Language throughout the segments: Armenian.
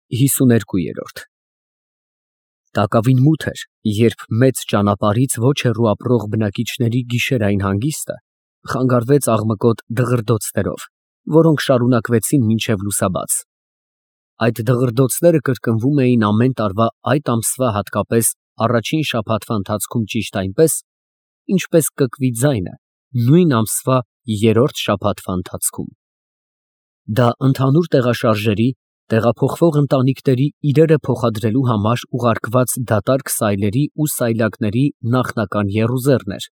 52 Տակավին մութ էր, երբ մեծ ճանապարհից ոչ հեռու ապրող բնակիչների գիշերային հանգիստը խանգարվեց աղմկոտ դղրդոցներով, որոնք շարունակվեցին մինչև լուսաբաց։ Այդ դղրդոցները կրկնվում էին ամեն տարվա այդ ամսվա հատկապես առաջին շաբաթվա ընթացքում ճիշտ այնպես, ինչպես կկվի ձայնը նույն ամսվա երրորդ շաբաթվա ընթացքում։ Դա ընդհանուր տեղաշարժերի, տեղափոխվող ընտանիքների իրերը փոխադրելու համար ուղարկված դատարկ սայլերի ու սայլակների նախնական եռուզեռն էր,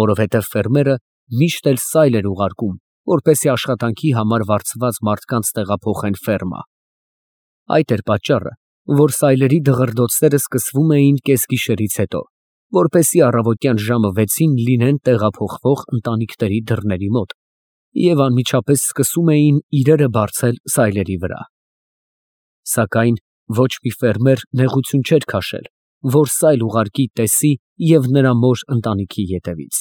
որովհետև ֆերմերը միշտ էլ սայլ էր ուղարկում, որպեսզի աշխատանքի համար վարձված մարդկանց տեղափոխեն ֆերմա։ Այդ էր պատճառը, որ սայլերի դղրդոցները սկսվում էին կեսգիշերից հետո, որպեսզի առավոտյան ժամը 6-ին լինեն տեղափոխվող ընտանիքների դռների մոտ և անմիջապես սկսում էին իրերը բարձել սայլերի վրա։ Սակայն ոչ մի ֆերմեր նեղություն չէր քաշել, որ սայլ ուղարկի տեսի և նրա մոր ընտանիքի ետևից։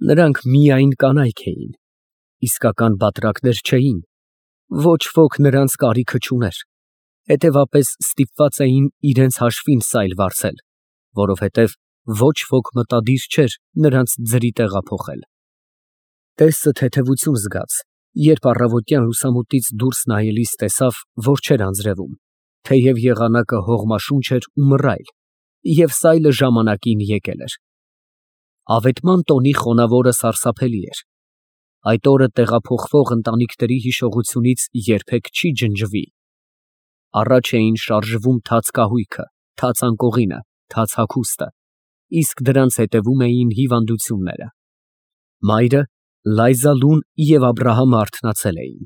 Նրանք միայն կանայք էին, իսկական բատրակներ չէին, ոչ ոք նրանց կարիքը չուներ, հետևապես ստիպված էին իրենց հաշվին սայլ վարձել, որովհետև ոչ ոք մտադիր չէր նրանց ձրի տեղափոխել։ Տեսը թեթևություն զգաց, երբ առավոտյան լուսամուտից դուրս նայելիս տեսավ, որ չէր անձրևում, թեև եղանակը հողմաշունչ էր ու մռայլ, և սայլը ժամանակին եկել էր։ Ավետման տոնի խոնավորը սարսափելի էր։ Այդ օրը տեղափոխվող ընտանիքների հիշողությունից երբեք չի ջնջվի։ Առաջ էին շարժվում թաց կահույքը, թաց անկողինը, թաց հագուստը, իսկ դրանց հետևում էին հիվանդությունները։ Մայրը, Լայզալուն և Աբրահամը արթնացել էին,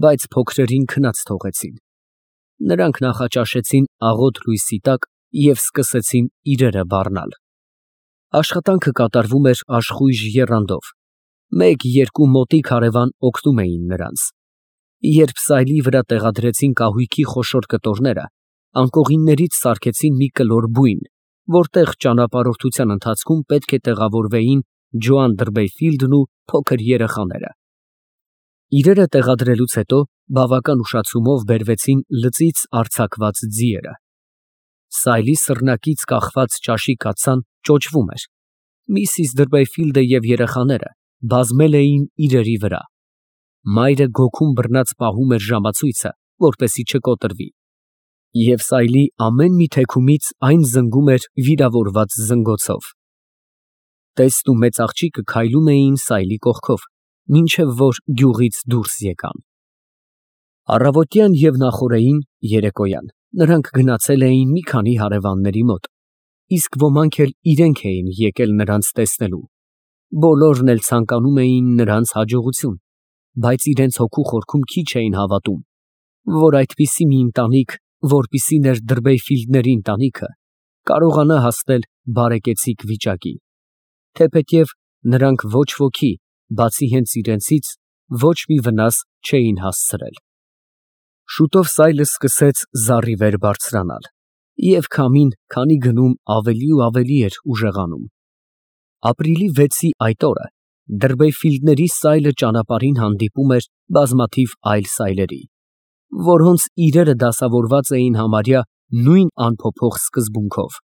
բայց փոքրերին քնած թողեցին։ Նրանք նախաճաշեցին աղոտ լույսի տակ և սկսեցին իրերը բառնալ։ Աշխատանքը կատարվում էր աշխույժ եռանդով, մեկ-երկու մոտիկ հարևան օգնում էին նրանց։ Երբ սայլի վրա տեղադրեցին կահույքի խոշոր կտորները, անկողիններից սարքեցին մի կլոր բույն, որտեղ ճանապարհորդության ընթացքում պետք է տեղավորվեին Ջոան Դրբեյֆիլդն ու փոքր երեխաները։ Իրերը տեղադրելուց հետո բավական ուշացումով բերվեցին լծից արձակված ձիերը։ Սայլի սռնակից կախված ճաշի կաթսան ճոճվում էր։ Միսիս Դրբեյֆիլդը և երեխաները բազմել էին իրերի վրա։ Մայրը գոգում բռնած պահում էր ժամացույցը, որպեսզի չկոտրվի, և սայլի ամեն մի թեքումից այն զնգում էր վիրավորված զնգոցով։ Տեսն ու մեծ աղջիկը քայլում էին սայլի կողքով, մինչև որ գյուղից դուրս եկան։ Առավոտյան և նախօրեին (երեկոյան) նրանք գնացել էին մի քանի հարևանների մոտ, իսկ ոմանք էլ իրենք էին եկել նրանց տեսնելու։ Բոլորն էլ ցանկանում էին նրանց հաջողություն, բայց իրենց հոգու խորքում քիչ էին հավատում, որ այդպիսի մի ընտանիք, որպիսին էր Դրբեյֆիլդների ընտանիքը, կարողանա հասնել բարեկեցիկ վիճակի, թեպետև նրանք ոչ ոքի, բացի հենց իրենցից, ոչ մի վնաս չէին հասցրել։ Շուտով սայլը սկսեց զառիվեր բարձրանալ, և քամին, քանի գնում, ավելի ու ավելի էր ուժեղանում։ Ապրիլի 6-ի այդ օրը Դրբեյֆիլդների սայլը ճանապարհին հանդիպում էր բազմաթիվ այլ սայլերի, որոնց իրերը դասավորված էին համարյա նույն անփոփոխ սկզբունքով,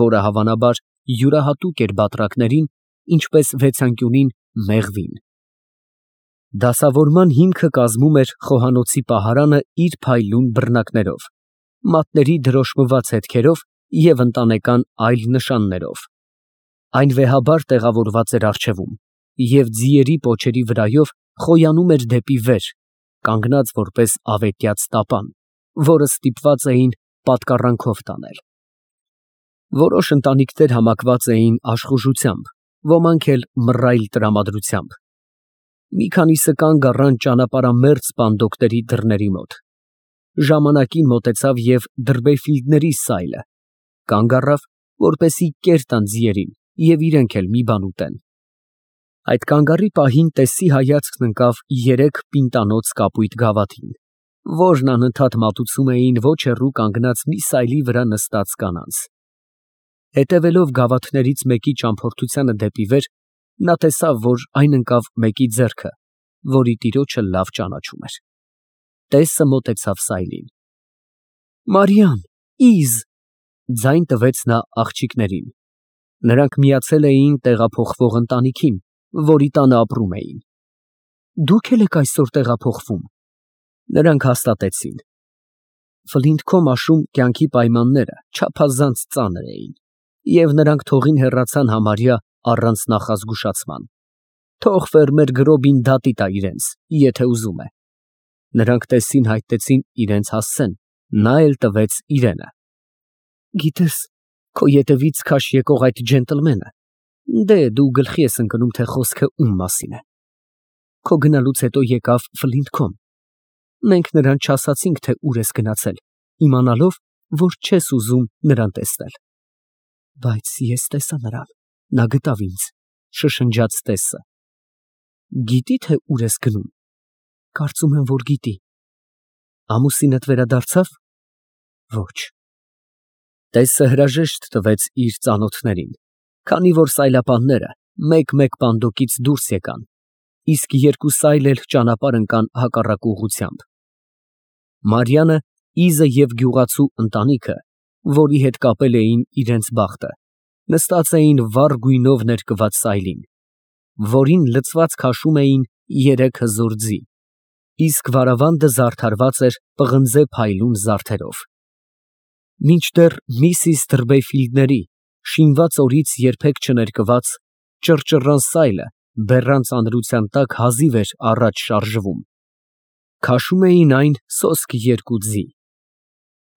որը հավանաբար յուրահատուկ էր բատրակներին, ինչպես վեցանկյունին մեղվին։ Դասավորման հիմքը կազմում էր խոհանոցի պահարանը իր փայլուն բռնակներով, մատների դրոշմված հետքերով և ընտանեկան այլ նշաններով։ Այն վեհաբար տեղավորված էր առջևում, և ձիերի պոչերի վրայով խոյանում էր դեպի վեր, կանգնած որպես ավետյաց տապան, որը ստիպված էին պատկառանքով տանել։ Որոշ ընտանիքներ համակված էին աշխուժությամբ, ոմանք էլ մռայլ տրամադրությամբ։ Մի քանիսը կանգ առան ճանապարհամերձ պանդոկների դռների մոտ։ Ժամանակին մոտեցավ և Դրբեյֆիլդների սայլը, կանգ առավ, որպեսզի կեր տան ձիերին և իրենք էլ մի բան ուտեն։ Այդ կանգառի պահին տեսի հայացքն ընկավ երեք պինտանոց կապույտ գավաթին, որն անընդհատ մատուցում էին ոչ հեռու կանգնած մի սայլի վրա նստած կանանց։ Հետևելով գավաթներից մեկի ճամփորդությանը դեպի վեր, նա տեսավ, որ այն ընկավ մեկի ձեռքը, որի տիրոջը լավ ճանաչում էր։ Տեսը մոտեցավ սայլին։ Մարիամ, Իզ, ձայն տվեց նա աղջիկներին։ Նրանք միացել էին տեղափոխվող ընտանիքին, որի տանը ապրում էին։ Դուք էլ եք այսօր տեղափոխվում։ Նրանք հաստատեցին։ Ֆլինթքոմ աշուն կյանքի պայմանները չափազանց ծանր էին, և նրանք թողին հեռացան համարյա առանց նախազգուշացման։ Թող ֆերմեր Գրոբին դատի տա իրենց, եթե ուզում է։ Նրանք տեսին հայտնեցին իրենց հասցեն, նա էլ տվեց իրենը։ Գիտես, քո ետևից քաշ եկող այդ ջենտլմենը, դե դու գլխի ես ընկնում, թե խոսքը ում մասին է։ Քո գնալուց հետո եկավ Ֆլինթքոմ։ Մենք նրան չասացինք, թե ուր ես գնացել, իմանալով, որ չես ուզում նրան տեսնել։ Բայց ես տեսա նրան, նա գտավ ինձ, շշնջաց տեսը։ Գիտի, թե ուր ես գնում։ Կարծում եմ, որ գիտի։ Ամուսինդ վերադարձավ։ Ոչ։ Տեսը հրաժեշտ տվեց իր ծանոթներին, քանի որ սայլապանները մեկ-մեկ պանդոկից դուրս եկան, իսկ երկու սայլ էլ ճանապարհ ընկան հակառակ ուղղությամբ։ Մարիանը, Իզը և գյուղացու ընտանիքը, որի հետ կապել էին իրենց բախտը, նստած էին վառ գույնով ներկված սայլին, որին լցված քաշում էին 3 հզոր ձի, իսկ վարավանդը զարդարված էր պղնձե փայլուն զարդերով։ Մինչդեռ Միսիս Թրբեյֆիլդների շինված օրից երբեք չներկված ճռճռան սայլը բեռան ծանրության տակ հազիվ էր առաջ շարժվում։ Քաշում էին այն սոսկ 2 ձի։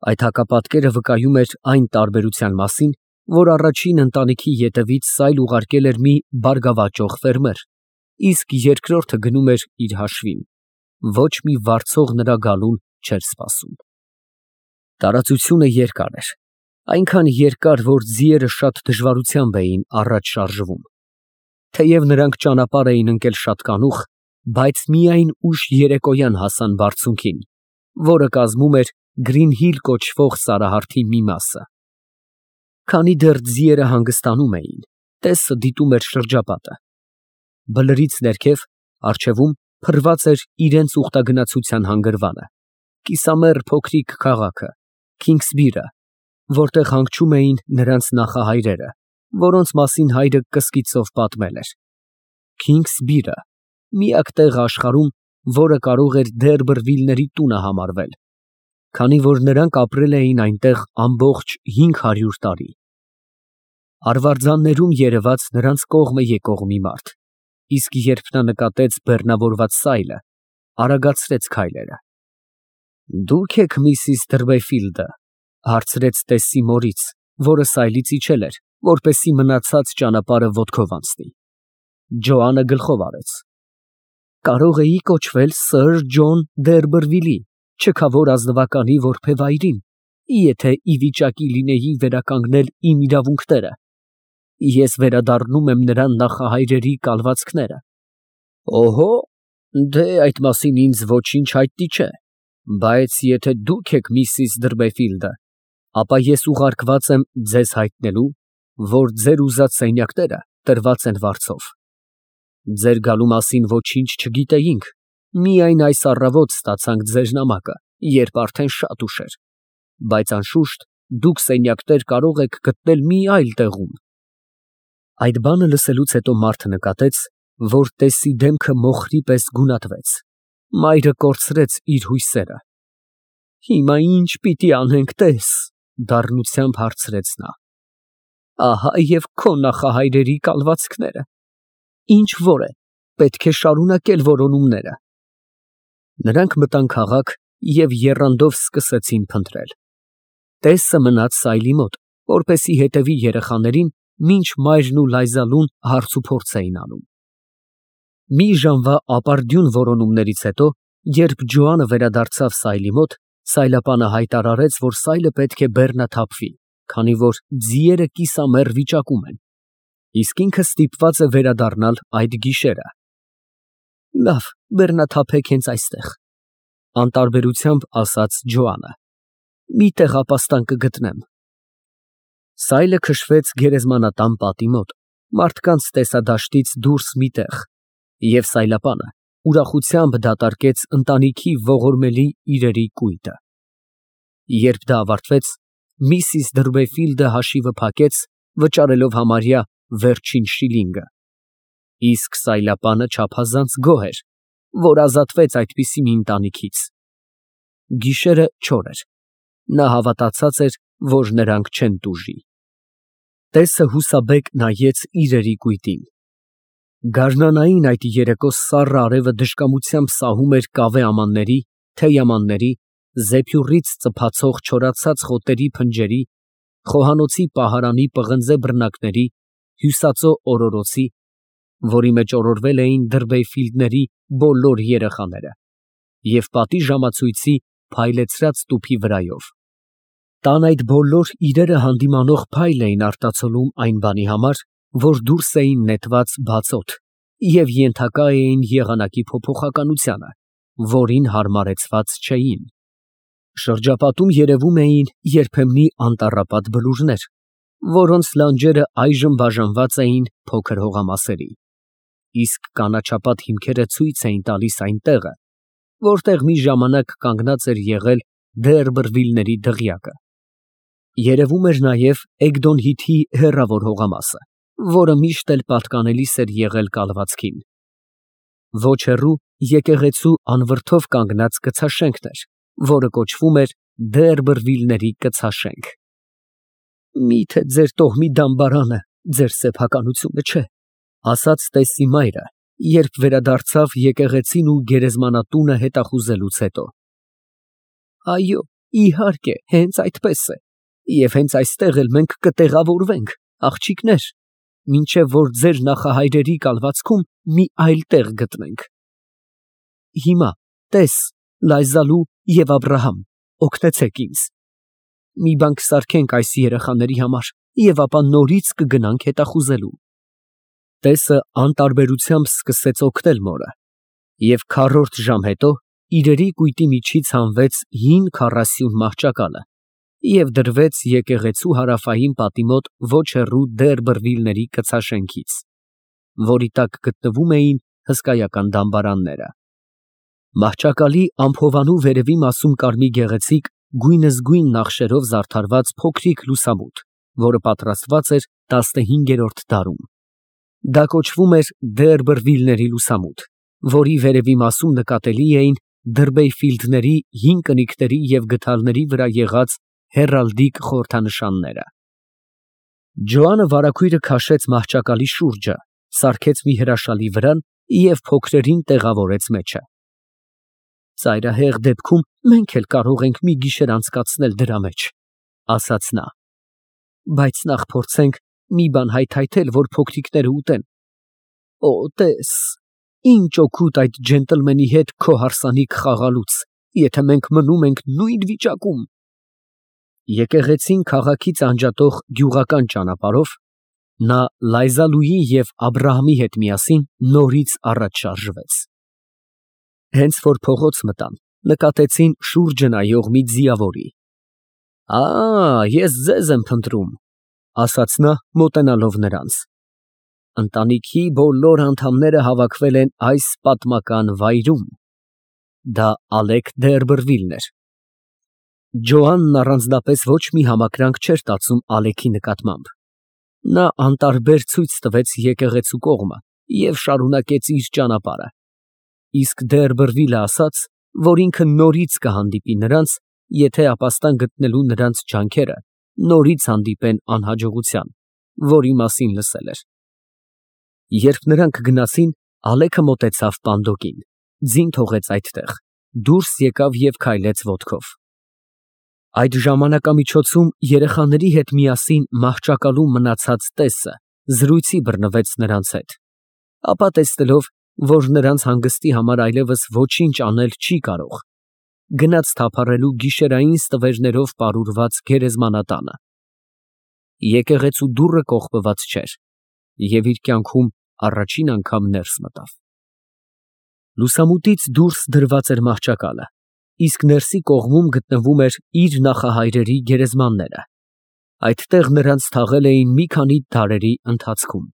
Այդ հակապատկերը վկայում էր այն տարբերության մասին, որ առաջին ընտանիքի ետևից սայլ ուղարկել էր մի բարգավաճող ֆերմեր, իսկ երկրորդը գնում էր իր հաշվին, ոչ մի վարձող նրա գալուն չէր սպասում։ Տարածությունը երկար էր, այնքան երկար, որ ձիերը շատ դժվարությամբ էին առաջ շարժվում։ Թեև նրանք ճանապարհ էին ընկել շատ կանուխ, բայց միայն ուշ երեկոյան հասան բարձունքին, որը կազմում էր Գրինհիլ կոչվող սարահարթի մի մասը։ Քանի դեռ ձիերը հանգստանում էին, տեսը դիտում էր շրջապատը։ Բլրից ներքև, առջևում փռված էր իրենց ուխտագնացության հանգրվանը, կիսամեռ փոքրիկ քաղաքը, Քինգսբիրը, որտեղ հանգչում էին նրանց նախահայրերը, որոնց մասին հայրը կսկիծով պատմել էր։ Քինգսբիրը, միակ տեղը աշխարհում, որը կարող էր Դերբրվիլների տունը համարվել, քանի որ նրանք ապրել էին այնտեղ ամբողջ 500 տարի։ Արվարձաններում երևաց նրանց կողմը եկող մի մարդ, իսկ երբ նա նկատեց բեռնավորված սայլը, արագացրեց քայլերը։ Դուք եք Միսիս Թրբեյֆիլդը, հարցրեց տեսի մորից, որը սայլից իջել էր, որպեսզի մնացած ճանապարհը ոտքով անցնի։ Ջոանը գլխով արեց։ Կարող էի կոչվել Սըր Ջոն Դերբրվիլի, չքավոր ազնվականի որբևայրին, եթե ի վիճակի լինեի վերականգնել իմ իրավունքները։ Ես վերադառնում եմ նրան նախահայրերի կալվածքները։ Օհո, դե այդ մասին ինձ ոչինչ հայտնի չէ, բայց եթե դուք եք Միսիս Դրբեֆիլդը, ապա ես ուղարկված եմ ձեզ հայտնելու, որ ձեր ուզած սենյակները տրված են վարձով։ Ձեր գալու մասին ոչինչ չգիտեինք, միայն այս առավոտ ստացանք ձեր նամակը, երբ արդեն շատ ուշ էր, բայց անշուշտ դուք սենյակներ կարող եք գտնել մի այլ տեղում։ Այդ բանը լսելուց հետո մարդը նկատեց, որ տեսի դեմքը մոխրի պես գունատվեց, մայրը կորցրեց իր հույսերը։ Հիմա ինչ պիտի անենք, տես, դառնությամբ հարցրեց նա։ Ահա և քո նախահայրերի կալվածքները։ Ինչ որ է, պետք է շարունակել որոնումները։ Նրանք մտան քաղաք և եռանդով սկսեցին փնտրել։ Տեսը մնաց սայլի մոտ, որպեսզի հետևի երեխաներին, մինչ մայրն ու Լայզալուն հարցուփորձ էին անում։ Մի ժամվա ապարդյուն որոնումներից հետո, երբ Ջոանը վերադարձավ սայլի մոտ, սայլապանը հայտարարեց, որ սայլը պետք է բեռնաթափվի, քանի որ ձիերը կիսամեռ վիճակում են, իսկ ինքը ստիպված է վերադառնալ այդ գիշերը։ Լավ, բեռնաթափեք հենց այստեղ, անտարբերությամբ ասաց Ջոանը։ Մի տեղապաստան կգտնեմ։ Սայլը քշվեց գերեզմանատան պատի մոտ, մարդկանց տեսադաշտից դուրս մի տեղ, և սայլապանը ուրախությամբ դատարկեց ընտանիքի ողորմելի իրերի կույտը։ Երբ դա ավարտվեց, Միսիս Դրվեֆիլդը հաշիվը փակեց, վճարելով համարյա վերջին շիլինգը։ Իսկ Սայլապանը չափազանց գոհ էր, որ ազատվեց այդպիսի մի ընտանիքից։ Գիշերը չոր էր։ Նա հավատացած էր, որ նրանք չեն տուժի։ Տեսը հուսաբեկ նայեց իրերի կույտին։ Գարնանային այդ երեկո սառը արևը դժկամությամբ սահում էր կավե ամանների, թեյամանների, զեփյուռից ծփացող չորացած խոտերի փնջերի, խոհանոցի պահարանի պղնձե բռնակների, հյուսածո օրորոցի, որի մեջ օրորվել էին Դրվեյֆիլդների բոլոր երեխաները, և պատի ժամացույցի փայլեցրած տուփի վրայով։ Տան այդ բոլոր իրերը հանդիմանող փայլ էին արտացոլում այն բանի համար, որ դուրս էին նետված բաց օդ և ենթակա էին եղանակի փոփոխականությանը, որին հարմարեցված չէին։ Շրջապատում երևում էին երբեմնի անտառապատ բլուրներ, որոնց լանջերը այժմ բաժանված էին փոքր հողամասերի, իսկ կանաչապատ հիմքերը ցույց էին տալիս այն տեղը, որտեղ մի ժամանակ կանգնած էր եղել Դերբրվիլների դղյակը։ Երևում էր նաև Էգդոնհիթի հեռավոր հողամասը, որը միշտ էլ պատկանելիս էր եղել կալվածքին։ Ոչ հեռու եկեղեցու անվրդով կանգնած կցաշենքն էր, որը կոչվում էր Դերբրվիլների կցաշենք։ Միթե ձեր տոհմի դամբարանը ձեր սեփականությունը չէ, ասաց Տեսի մայրը, երբ վերադարձավ եկեղեցին ու գերեզմանատունը հետախուզելուց հետո։ Այո, իհարկե, հենց այդպես է, և հենց այստեղ էլ մենք կտեղավորվենք, աղջիկներ, մինչև որ ձեր նախահայրերի կալվածքում մի այլ տեղ գտնենք։ Հիմա, տես, Լայզալու և Աբրահամ, օգնեցեք ինձ։ Մի բան կսարքենք այս երեխաների համար և ապա նորից կգնանք հետախուզելու։ Տեսը անտարբերությամբ սկսեց օգնել մորը, և քառորդ ժամ հետո իրերի կույտի միջից հանվեց հին քառասյուն մահճակալը և դրվեց եկեղեցու հարավային պատի մոտ ոչ հեռու Դերբրվիլների կցաշենքից, որի տակ գտնվում էին հսկայական դամբարանները։ Մահճակալի ամփովանու վերևի մասում կար մի գեղեցիկ գույնզգույն նախշերով զարդարված փոքրիկ լուսամուտ, որը պատրաստված էր 15-րդ դարում։ Դա կոչվում էր Դերբրվիլների լուսամուտ, որի վերևի մասում նկատելի էին Դրվեյֆիլդների հին կնիկների և գդալների վրա եղած հեռալդիկ խորհրդանշանները։ Ջոանը վարագույրը քաշեց մահճակալի շուրջը, սարքեց մի հրաշալի վրան և փոքրերին տեղավորեց մեջը։ Ծայրահեղ դեպքում մենք էլ կարող ենք մի գիշեր անցկացնել դրա մեջ, ասաց նա, բայց նախ փորձենք մի բան հայթայթել, որ փոքրիկները ուտեն։ Օ, տես, ինչ օգուտ այդ ջենտլմենի հետ քո հարսանիք խաղալուց, եթե մենք մնում ենք նույն վիճակում։ Եկեղեցին քաղաքից անջատող գյուղական ճանապարհով նա Լայզալուի և Աբրահամի հետ միասին նորից առաջ շարժվեց։ Հենց որ փողոց մտան, նկատեցին շուրջը նայող մի ձիավորի։ Ես ձեզ եմ փնտրում, ասաց նա, մոտենալով նրանց։ Ընտանիքի բոլոր անդամները հավաքվել են այս պատմական վայրում։ Դա Ալեկ Դերբրվիլն էր։ Ջոանն առանձնապես ոչ մի համակրանք չէր տածում Ալեքի նկատմամբ։ Նա անտարբեր ցույց տվեց եկեղեցու կողմը և շարունակեց իր ճանապարհը, իսկ Դերբրվիլը ասաց, որ ինքը նորից կհանդիպի նրանց, եթե ապաստան գտնելու նրանց ջանքերը նորից հանդիպեն անհաջողության, որի մասին լսել էր։ Երբ նրանք գնացին, Ալեքը մոտեցավ պանդոկին, ձին թողեց այդտեղ, դուրս եկավ և քայլեց ոտքով։ Այդ ժամանակամիջոցում երեխաների հետ միասին մահճակալում մնացած տեսը զրույցի բռնվեց նրանց հետ, ապա տեսնելով, որ նրանց հանգստի համար այլևս ոչինչ անել չի կարող, գնաց թափառելու գիշերային ստվերներով պարուրված գերեզմանատանը։ Եկեղեցու դուռը կողպված չէր և իր կյանքում առաջին անգամ ներս մտավ։ Լուսամուտից դուրս դրված էր մահճակալը, իսկ ներսի կողմում գտնվում էր իր նախահայրերի գերեզմանները։ Այդտեղ նրանց թաղել էին մի քանի դարերի ընթացքում։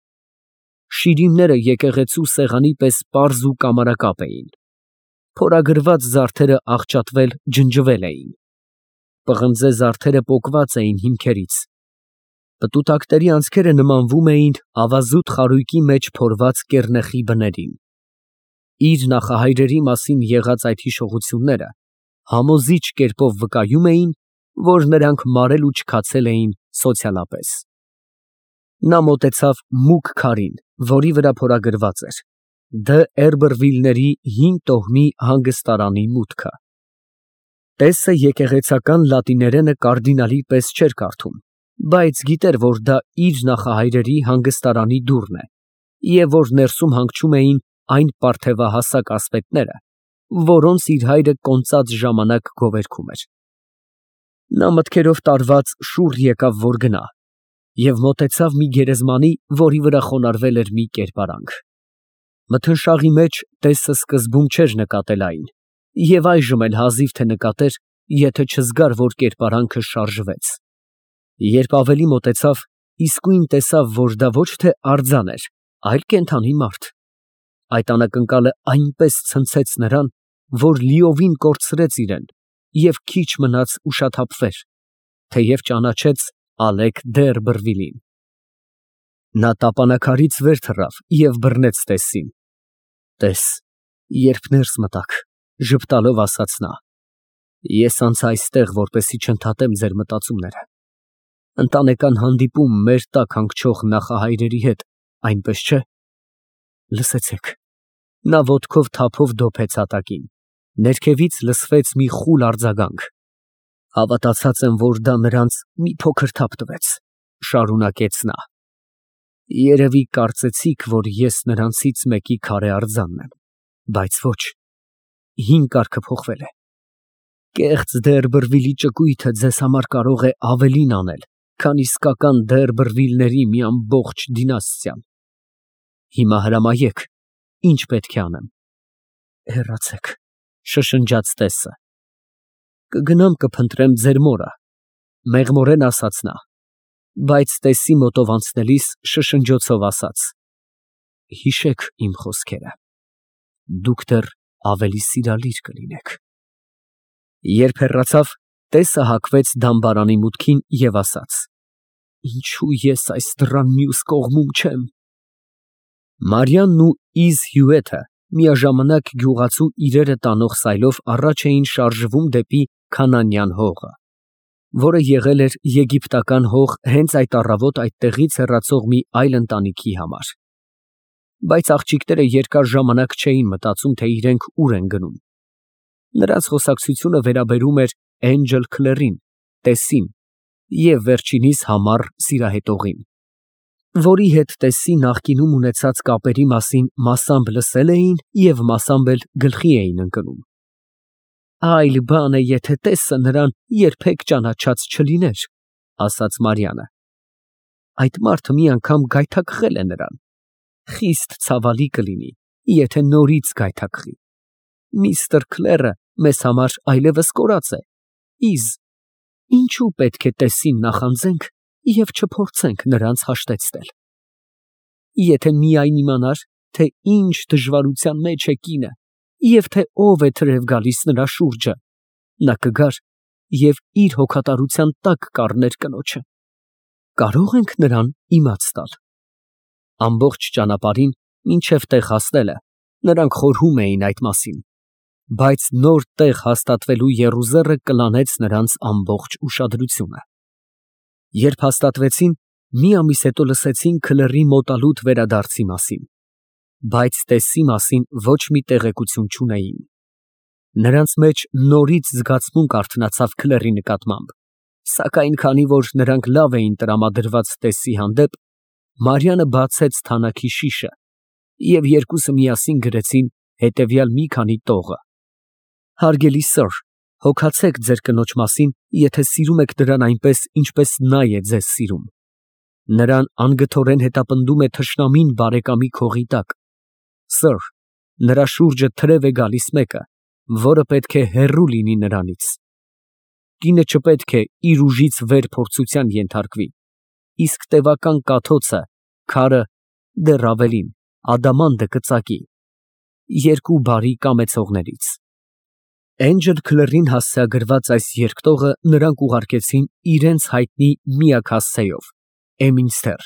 Շիրիմները եկեղեցու սեղանի պես պարզ ու կամարակապ էին։ Փորագրված զարդերը աղճատվել, ջնջվել էին։ պղնձե զարդերը պոկված էին հիմքերից։ Պտուտակների անցքերը նմանվում էին ավազուտ խարույկի մեջ փորված կեռնեխի բներին։ Իր նախահայրերի մասին եղած այդ հիշողությունները համոզիչ կերպով վկայում էին, որ նրանք մարել ու չքացել էին սոցիալապես։ Նա մոտեցավ մուգ քարին, որի վրա փորագրված էր Դը Էրբերվիլների հին տոհմի հանգստարանի մուտքը։ Տեսը եկեղեցական լատիներենը կարդինալի պես չէր կարդում, բայց գիտեր, որ դա իր նախահայրերի հանգստարանի դուռն է, և որ ներսում հանգչում էին այն պարթևահասակ ասպետները, որոնց իր հայրը կոնծած ժամանակ գովերգում էր։ Նա մտքերով տարված շուռ եկավ, որ գնա, և մոտեցավ մի գերեզմանի, որի վրա խոնարհվել էր մի կերպարանք։ Մթնշաղի մեջ տեսը սկզբում չէր նկատել այն, և այժմ էլ հազիվ թե նկատեր, եթե չզգար, որ կերպարանքը շարժվեց։ Երբ ավելի մոտեցավ, իսկույն տեսավ, որ դա ոչ թե արձան էր, այլ կենդանի մարդ։ Այդ անակնկալը այնպես ցնցեց նրան, որ լիովին կորցրեց իրեն և քիչ մնաց ուշաթափվեր, թեև ճանաչեց Ալեկ Դ'Երբերվիլին։ Նա տապանաքարից վեր թռավ և բռնեց տեսին։ Տես, երբ ներս մտաք, ժպտալով ասաց նա, ես անցա այստեղ, որպեսզի չընդհատեմ ձեր մտածումները։ Ընտանեկան հանդիպում մեր տակ հանգչող նախահայրերի հետ, այնպես չէ։ Լսեցեք։ Նա ոտքով թափով դոփեց հատակին։ Ներքևից լսվեց մի խուլ արձագանք։ Հավատացած եմ, որ դա նրանց մի փոքր թափ տվեց, շարունակեց նա։ Երևի կարծեցիք, որ ես նրանցից մեկի քարե արձանն եմ, բայց ոչ, հին կարգը փոխվել է։ Կեղծ Դ'Երբերվիլի ճկույթը ձեզ համար կարող է ավելին անել, քան իսկական Դ'Երբերվիլների մի ամբողջ դինաստիան։ Հիմա հրամայեք, ինչ պետք է անեմ։ Հեռացեք, շշնջաց տեսը։ Կգնամ կփնտրեմ ձեր մորը, մեղմորեն ասաց նա, բայց տեսի մոտով անցնելիս շշնջոցով ասաց. Հիշեք իմ խոսքերը, դուք դեռ ավելի սիրալիր կլինեք։ Երբ հեռացավ, տեսը հակվեց դամբարանի մուտքին և ասաց. Ինչու ես այս դռան մյուս կողմում չեմ։ Մարիամն ու Իզ հյութը միաժամանակ գյուղացու իրերը տանող սայլով առաջ էին շարժվում դեպի Քանանյան հողը, որը եղել էր եգիպտական հող հենց այդ առավոտ այդտեղից հեռացող մի այլ ընտանիքի համար։ Բայց աղջիկները երկար ժամանակ չէին մտածում, թե իրենք ուր են գնում։ Նրանց խոսակցությունը վերաբերում էր Էնջել Քլերին, տեսին և վերջինիս համառ սիրահետողին, որի հետ տեսի նախկինում ունեցած կապերի մասին մասամբ լսել էին և մասամբ էլ գլխի էին ընկնում։ Այլ բան է, եթե տեսը նրան երբեք ճանաչած չլիներ, ասաց Մարիամը։ Այդ մարդը մի անգամ գայթակղել է նրան։ Խիստ ցավալի կլինի, եթե նորից գայթակղի։ Միստր Քլերը մեզ համար այլևս կորած է։ Իզ, ինչու պետք է տեսին նախանձենք և չփորձենք նրանց հաշտեցնել։ Եթե միայն իմանար, թե ինչ դժվարության մեջ է կինը, և թե ով է թրև գալիս նրա շուրջը, նա կգար և իր հոգատարության տակ կառներ կնոջը։ Կարո՞ղ ենք նրան իմաց տալ։ Ամբողջ ճանապարհին, մինչև տեղ հասնելը, նրանք խորհում էին այդ մասին, բայց նոր տեղ հաստատվելու եռուզեռը կլանեց նրանց ամբողջ ուշադրությունը։ Երբ հաստատվեցին, մի ամիս հետո լսեցին Քլերի մոտալուտ վերադարձի մասին, բայց տեսի մասին ոչ մի տեղեկություն չունեին։ Նրանց մեջ նորից զգացմունք արթնացավ Քլերի նկատմամբ, սակայն քանի որ նրանք լավ էին տրամադրված տեսի հանդեպ, Մարիամը բացեց թանաքի շիշը, և երկուսը միասին գրեցին հետևյալ մի քանի տողը. Հարգելի սըր, հոգացեք ձեր կնոջ մասին, եթե սիրում եք նրան այնպես, ինչպես նա է ձեզ սիրում։ Նրան անգթորեն հետապնդում է թշնամին բարեկամի քողի տակ։ Սըր, նրա շուրջը թրև է գալիս մեկը, որը պետք է հեռու լինի նրանից։ Կինը չպետք է իր ուժից վեր փորձության ենթարկվի, իսկ տևական կաթոցը, քարը, դեռ ավելին, ադամանդը կծակի երկու բարի կամեցողներից։ Էնջլ Քլըրին հասցեագրված այս երկտողը նրանք ուղարկեցին իրենց հայտնի միակ հասցեով՝ Էմինստեր,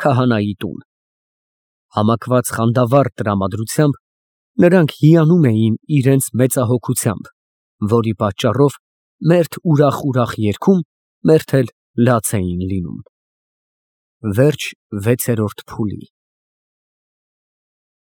քահանայի տուն։ Համակված խանդավառ տրամադրությամբ նրանք հիանում էին իրենց մեծահոգությամբ, որի պատճառով մերթ ուրախ երգում, մերթ էլ լաց էին լինում։ Վերջ 6-րդ փուլի։